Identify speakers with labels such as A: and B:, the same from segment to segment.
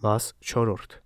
A: Մաս 4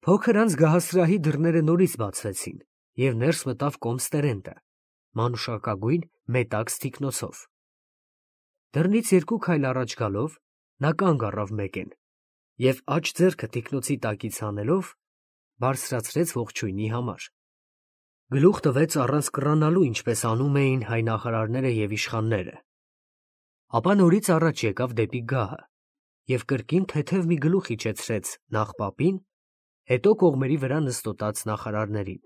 B: Փոքր անց գահասրահի դռները նորից բացվեցին, և ներս մտավ կոմս Տերենտը, մանուշակագույն մետաքս թիկնոցով։ Դռնից 2 քայլ առաջ գալով, նա կանգ առավ մեկեն և աջ ձեռքը թիկնոցի տակից հանելով, բարձրացրեց ողջույնի համար։ Գլուխ տվեց առանց կռանալու, ինչպես անում էին հայ նախարարները և իշխանները։ Ապա նորից առաջ եկավ դեպի գահը և կրկին թեթև մի գլուխ իջեցրեց նախ պապին, հետո կողմերի վրա նստոտած նախարարներին։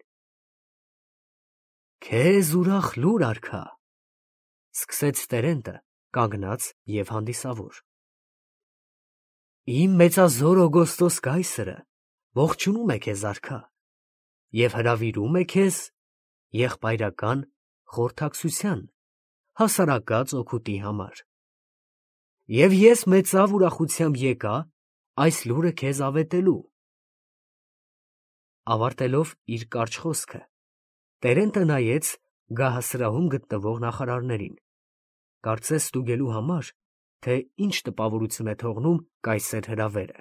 B: Քեզ ուրախ լուր, արքա, սկսեց Տերենտը, կանգնած և հանդիսավոր։ Իմ մեծազոր Օգոստոս կայսրը ողջունում է քեզ, արքա, և հրավիրում է քեզ եղբայրական խորհրդակցության հասարակած օգուտի համար։ Եվ ես մեծավ ուրախությամբ եկա այս լուրը քեզ ավետելու։ Ավարտելով իր կարճ խոսքը, Տերենտը նայեց գահասրահում գտնվող նախարարներին, կարծես ստուգելու համար, թե ինչ տպավորություն է թողնում կայսեր հրավերը։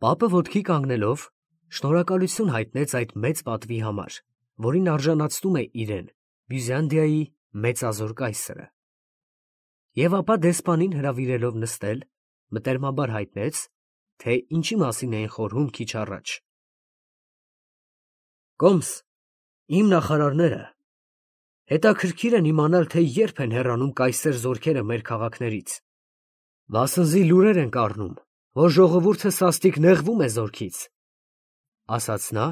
B: Պապը ոտքի կանգնելով, շնորհակալություն հայտնեց այդ մեծ պատվի համար, որին արժանացնում է իրեն, Բյուզանդիայի մեծազոր կայսրը։ Եվ ապա դեսպանին հրավիրելով նստել, մտերմաբար հայտնեց, թե ինչի մասին էին խորհում քիչ առաջ։ Կոմս, իմ նախարարները հետաքրքիր են իմանալ, թե երբ են հեռանում կայսեր զորքերը մեր քաղաքներից, վասնզի լուրեր ենք առնում, որ ժողովուրդը սաստիկ նեղվում է զորքից, ասաց նա,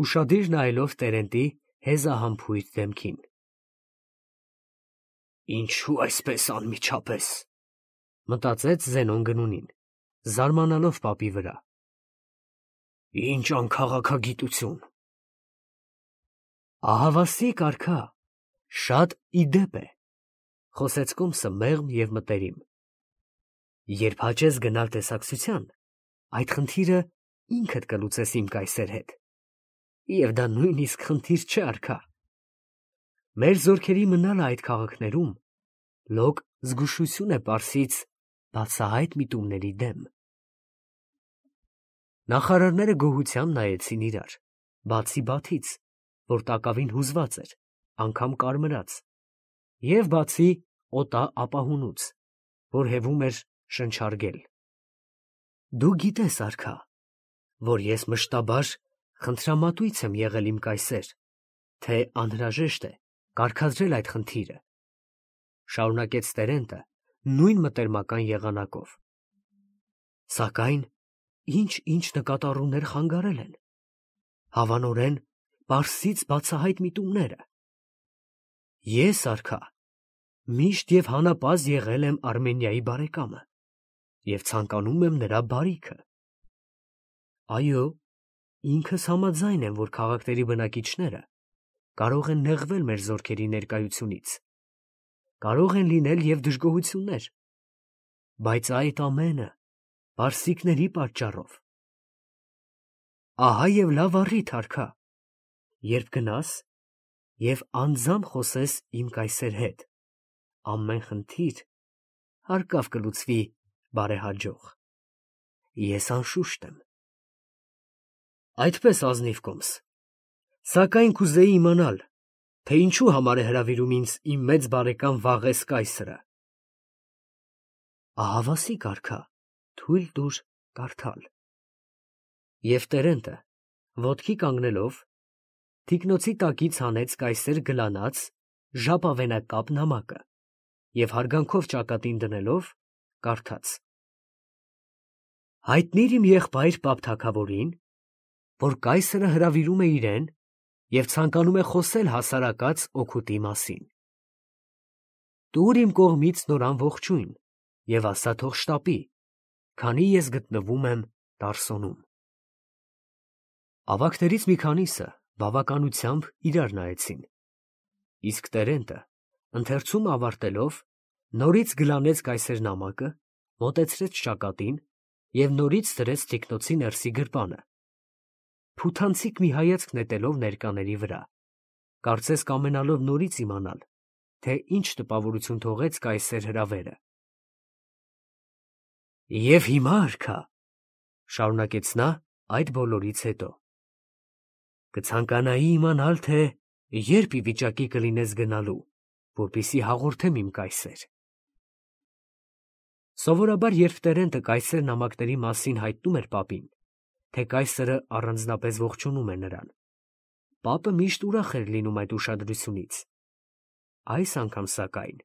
B: ուշադիր նայելով Տերենտի հեզահամբույր դեմքին։ Ինչո՞ւ այսպես անմիջապես, մտածեց Զենոն Գնունին, զարմանալով պապի վրա։ Ինչ անքաղաքագիտություն։ Ահավասիկ, արքա, շատ ի դեպ է, խոսեց կոմսը մեղմ և մտերիմ։ Երբ հաճես գնալ տեսակցության, այդ խնդիրը ինքդ կլուծես իմ կայսեր հետ։ Եվ դա նույնիսկ խնդիր չէ, արքա։ Մեր զորքերի մնալը այդ քաղաքներում լոկ զգուշություն է պարսից բացահայտ միտումների դեմ։ Նախարարները գոհությամբ նայեցին իրար, բացի Բաթից, որ տակավին հուզված էր, անգամ կարմրած, և բացի օտա ապահունուց, որ հևում էր շնչարգել։ Դու գիտես, արքա, որ ես մշտաբար խնդրամատույց եմ եղել իմ կայսեր, թե անհրաժեշտ է կարգադրել այդ խնդիրը, շարունակեց Տերենտը նույն մտերմական եղանակով։ Սակայն ինչ նկատառումներ խանգարել են, հավանորեն պարսից բացահայտ միտումները։ Ես, արքա, միշտ և հանապազդ եղել եմ Արմենիայի բարեկամը և ցանկանում եմ նրա բարիքը։ Այո, ինքս համաձայն եմ, որ քաղաքների բնակիչները կարող են նեղվել մեր զորքերի ներկայությունից, կարող են լինել և դժգոհություններ, բայց այդ ամենը պարսիկների պատճառով։ Ահա և լավ առիթ, արքա, երբ գնաս և անձամբ խոսես իմ կայսեր հետ, ամեն խնդիր հարկավ կլուծվի բարեհաջող։ Ես անշուշտ եմ։ Այդպես, ազնիվ կոմս, սակայն կուզեի իմանալ, թե ինչու համար է հրավիրում ինձ իմ մեծ բարեկամ Վաղես կայսրը։ Ահավասիկ, արքա, թույլ տուր կարդալ։ Եվ Տերենտը, ոտքի կանգնելով, թիկնոցի տակից հանեց կայսեր գլանած ժապավենակապ նամակը և հարգանքով ճակատին դնելով, կարդաց. Հայտնիր իմ եղբայր պապ թագավորին, որ կայսրը հրավիրում է իրեն և ցանկանում է խոսել հասարակած օգուտի մասին։ Տուր իմ կողմից նորան ողջույն և ասա թող շտապի, քանի ես գտնվում եմ Տարսոնում։ Ավագներից մի քանիսը բավականությամբ իրար նայեցին, իսկ Տերենտը, ընթերցումը ավարտելով, նորից գլանեց կայսեր նամակը, մոտեցրեց ճակատին և նորից դրեց թիկնոցի ներսի գրպանը, փութանցիկ մի հայացք նետելով ներկաների վրա, կարծես կամենալով նորից իմանալ, թե ինչ տպավորություն թողեց կայսեր հրավերը։ Եվ հիմա արքա, շարունակեց նա այդ բոլորից հետո, կցանկանայի իմանալ, թե երբ ի վիճակի կլինես գնալու, որպեսզի հաղորդեմ իմ կայսեր։ Սովորաբար, երբ Տերենտը կայսեր նամակների մասին հայտնում էր պապին, թե կայսրը առանձնապես ողջունում է նրան, պապը միշտ ուրախ էր լինում այդ ուշադրությունից։ Այս անգամ, սակայն,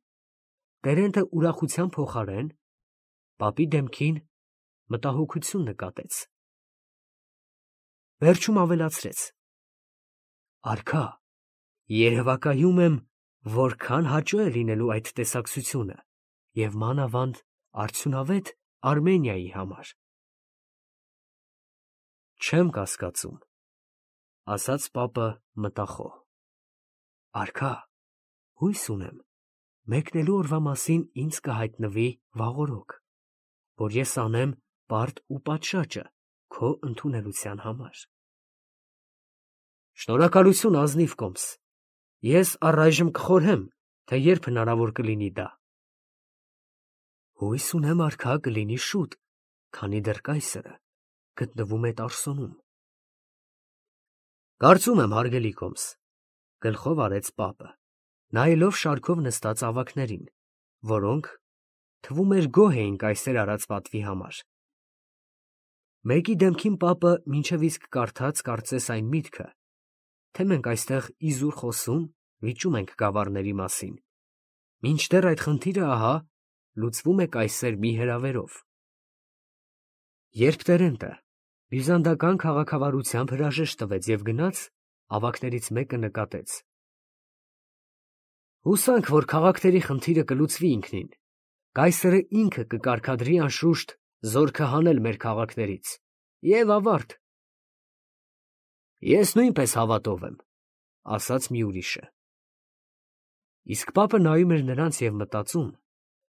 B: Տերենտը ուրախության փոխարեն պապի դեմքին մտահոգություն նկատեց։ Վերջում ավելացրեց. Արքա, երևակայում եմ, որքան հաճո է լինելու այդ տեսակցությունը և մանավանդ արդյունավետ Արմենիայի համար։ Չեմ կասկածում, ասաց պապը մտախոհ։ Արքա, հույս ունեմ, մեկնելու օրվա մասին ինձ կհայտնվի վաղօրոք, որ ես անեմ պարտ ու պատշաճը քո ընդունելության համար։ Շնորհակալություն ազնիվ կոմս, ես առայժմ կխորհեմ, թե երբ հնարավոր կլինի դա։ Հույս ունեմ, արքա, կլինի շուտ, քանի դեռ կայսրը գտնվում է Տարսոնում։ Կարծում եմ, հարգելի կոմս, գլխով արեց պապը, նայելով շարքով նստած ավագներին, որոնք, թվում էր, գոհ էին կայսեր արած պատվի համար։ Մեկի դեմքին պապը մինչև իսկ կարդաց կարծես այն միտքը, թե մենք այստեղ իզուր խոսում, վիճում ենք գավառների մասին, մինչդեռ այդ խնդիրը ահա լուծվում է կայսեր մի հրավերով։ Երբ Տերենտը բյուզանդական քաղաքավարությամբ հրաժեշտ տվեց և գնաց, ավագներից մեկը նկատեց. Հուսանք, որ քաղաքների խնդիրը կլուծվի ինքնին, կայսրը ինքը կկարգադրի անշուշտ զորքը հանել մեր քաղաքներից, և ավարտ։ Ես նույնպես հավատով եմ, ասաց մի ուրիշը։ Իսկ պապը նայում էր նրանց և մտածում,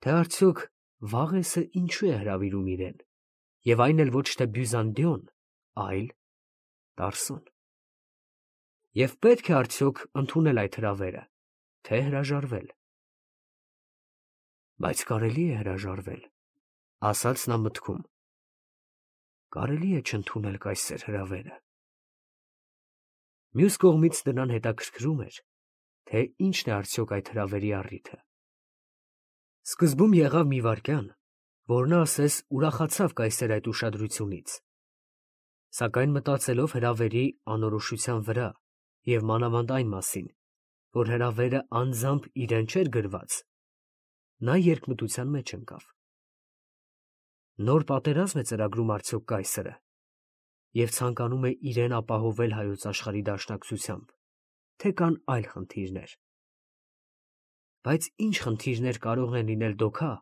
B: թե արդյոք Վաղեսը ինչու է հրավիրում իրեն, և այն էլ ոչ թե Բյուզանդիոն, այլ Տարսոն։ Եվ պետք է արդյոք ընդունել այդ հրավերը, թե հրաժարվել։ Բայց կարելի է հրաժարվել, ասաց նա մտքում։ Կարելի է չընդունել կայսեր հրավերը։ Մյուս կողմից նրան հետաքրքրում էր, թե ինչն է արդյոք այդ հրավերի առիթը։ Սկզբում եղավ մի վայրկյան, որ նա ասես ուրախացավ կայսեր այդ ուշադրությունից, սակայն մտածելով հրավերի անորոշության վրա և մանավանդ այն մասին, որ հրավերը անձամբ իրեն չէր գրված, նա երկմտության մեջ ընկավ։ Նոր պատերազմ է ծրագրում արդյոք կայսրը և ցանկանում է իրեն ապահովել հայոց աշխարհի դաշնակցությամբ, թե կան այլ խնդիրներ։ Բայց ինչ խնդիրներ կարող են լինել դոքա,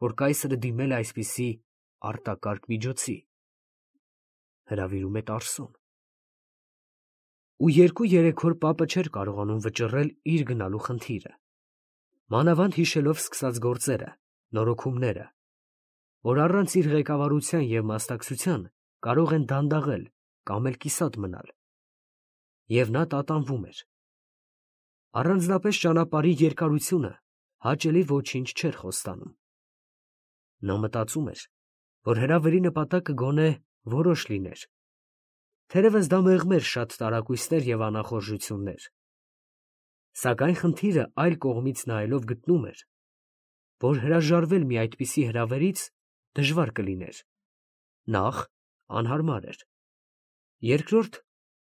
B: որ կայսրը դիմել է այսպիսի արտակարգ միջոցի։ Հրավիրում է Տարսոն։ Ու 2-3 օր պապը չէր կարողանում վճռել իր գնալու խնդիրը, մանավանդ հիշելով սկսած գործերը, նորոգումները, որ առանց իր ղեկավարության և մասնակցության կարող են դանդաղել կամ էլ կիսատ մնալ։ Եվ նա տատանվում էր։ Առանձնապես ճանապարհի երկարությունը հաճելի ոչինչ չէր խոստանում։ Նա մտածում էր, որ հրավերի նպատակը գոնե որոշ լիներ, թերևս դա մեղմեր շատ տարակույսներ և անախորժություններ։ Սակայն խնդիրը այլ կողմից նայելով գտնում էր, որ հրաժարվել մի այդպիսի հրավերից դժվար կլիներ։ Նախ, անհարմար էր։ Երկրորդ,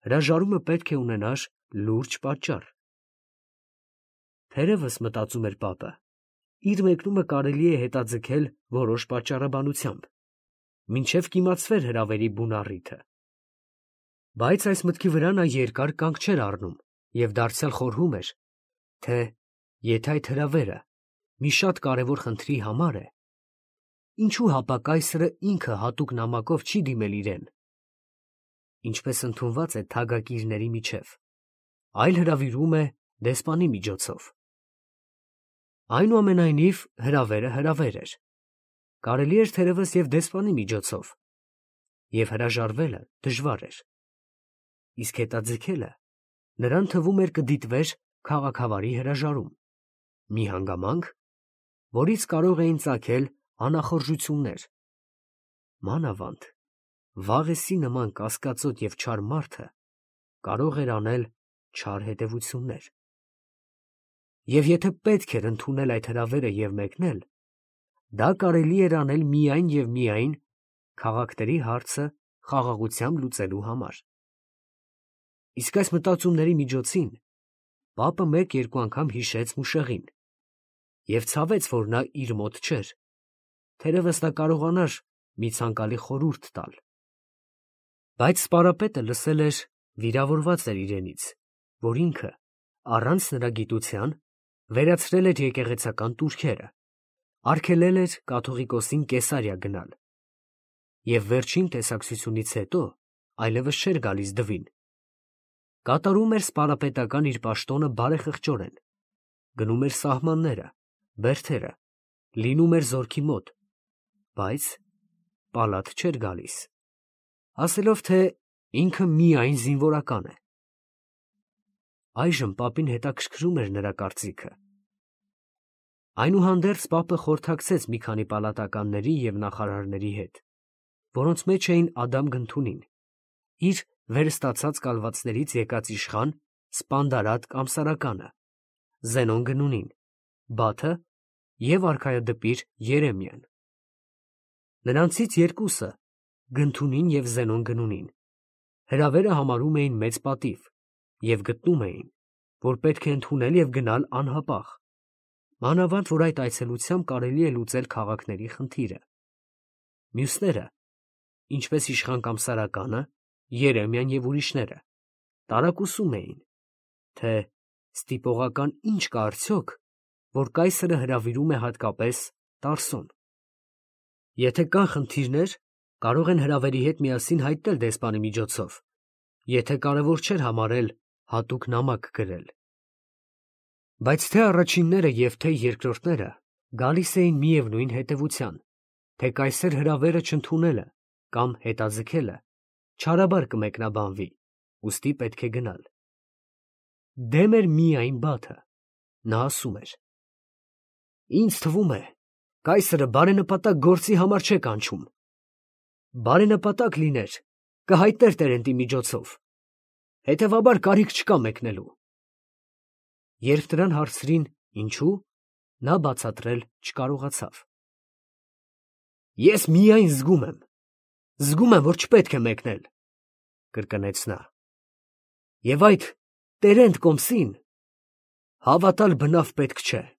B: հրաժարումը պետք է ունենար լուրջ պատճառ։ Թերևս, մտածում էր պապը, իր մեկնումը կարելի է հետաձգել որոշ պատճառաբանությամբ, մինչև կիմացվեր հրավերի բուն առիթը։ Բայց այս մտքի վրա նա երկար կանգ չէր առնում և դարձյալ խորհում էր, թե եթե այդ հրավերը մի շատ կարևոր խնդրի համար է, ինչու հապա կայսրը ինքը հատուկ նամակով չի դիմել իրեն, ինչպես ընդունված է թագակիրների միջև, այլ հրավիրում է դեսպանի միջոցով։ Այնուամենայնիվ հրավերը հրավեր էր, կարելի էր թերևս և դեսպանի միջոցով, և հրաժարվելը դժվար էր, իսկ հետաձգելը նրան թվում էր կդիտվեր քաղաքավարի հրաժարում, մի հանգամանք, որից կարող էին ծագել անախորժություններ մանավանդ Վաղեսի նման կասկածոտ և չար մարդը կարող էր անել չար հետևություններ։ Եվ եթե պետք էր ընդունել այդ հրավերը և մեկնել, դա կարելի էր անել միայն և միայն քաղաքների հարցը խաղաղությամբ լուծելու համար։ Իսկ այս մտածումների միջոցին պապը մեկ-երկու անգամ հիշեց Մուշեղին և ցավեց, որ նա իր մոտ չէր, թերևս նա կարողանար մի ցանկալի խորհուրդ տալ։ Բայց սպարապետը լսել էր, վիրավորված էր իրենից, որ ինքը, առանց նրա գիտության, վերացրել էր եկեղեցական տուրքերը, արգելել էր կաթողիկոսին Կեսարիա գնալ և վերջին տեսակցությունից հետո այլևս չէր գալիս դվին։ Կատարում էր սպարապետական իր պաշտոնը բարեխղճորեն, գնում էր սահմանները, բերդերը, լինում էր զորքի մոտ, բայց պալատ չէր գալիս, ասելով, թե ինքը միայն զինվորական է։ Այժմ պապին հետաքրքրում էր նրա կարծիքը։ Այնուհանդերձ պապը խորհրդակցեց մի քանի պալատականների և նախարարների հետ, որոնց մեջ էին Ադամ Գնթունին, իր վերստացած կալվածներից եկած իշխան Սպանդարատ Կամսարականը, Զենոն Գնունին, Բաթը և արքայադպիր Երեմիան։ Նրանցից երկուսը, Գնթունին և Զենոն Գնունին, հրավերը համարում էին մեծ պատիվ և գտնում էին, որ պետք է ընդունել և գնալ անհապաղ, մանավանդ որ այդ այցելությամբ կարելի է լուծել քաղաքների խնդիրը։ Մյուսները, ինչպես իշխան Կամսարականը, Երեմիան և ուրիշները, տարակուսում էին, թե ստիպողական ինչ կա արդյոք, որ կայսրը հրավիրում է հատկապես Տարսոն։ Եթե կան խնդիրներ, կարող են հրավերի հետ միասին հայտնել դեսպանի միջոցով, եթե կարևոր չէր համարել հատուկ նամակ գրել։ Բայց թե առաջինները և թե երկրորդները գալիս էին միևնույն հետևության, թե կայսեր հրավերը չընդունելը կամ հետաձգելը չարաբար կմեկնաբանվի, ուստի պետք է գնալ։ Դեմ էր միայն Բաթը, նա ասում էր. «Ինձ թվում է, կայսրը բարենպատակ գործի համար չէ կանչում, բարենպատակ լիներ, կհայտներ տերենտի միջոցով, հետևաբար կարիք չկա մեկնելու»։ Երբ նրան հարցրին ինչու, նա բացատրել չկարողացավ։ «Ես միայն զգում եմ, որ չպետք է մեկնել», կրկնեց նա, «և այդ Տերենտ Կոմսին հավատալ բնավ պետք չէ»։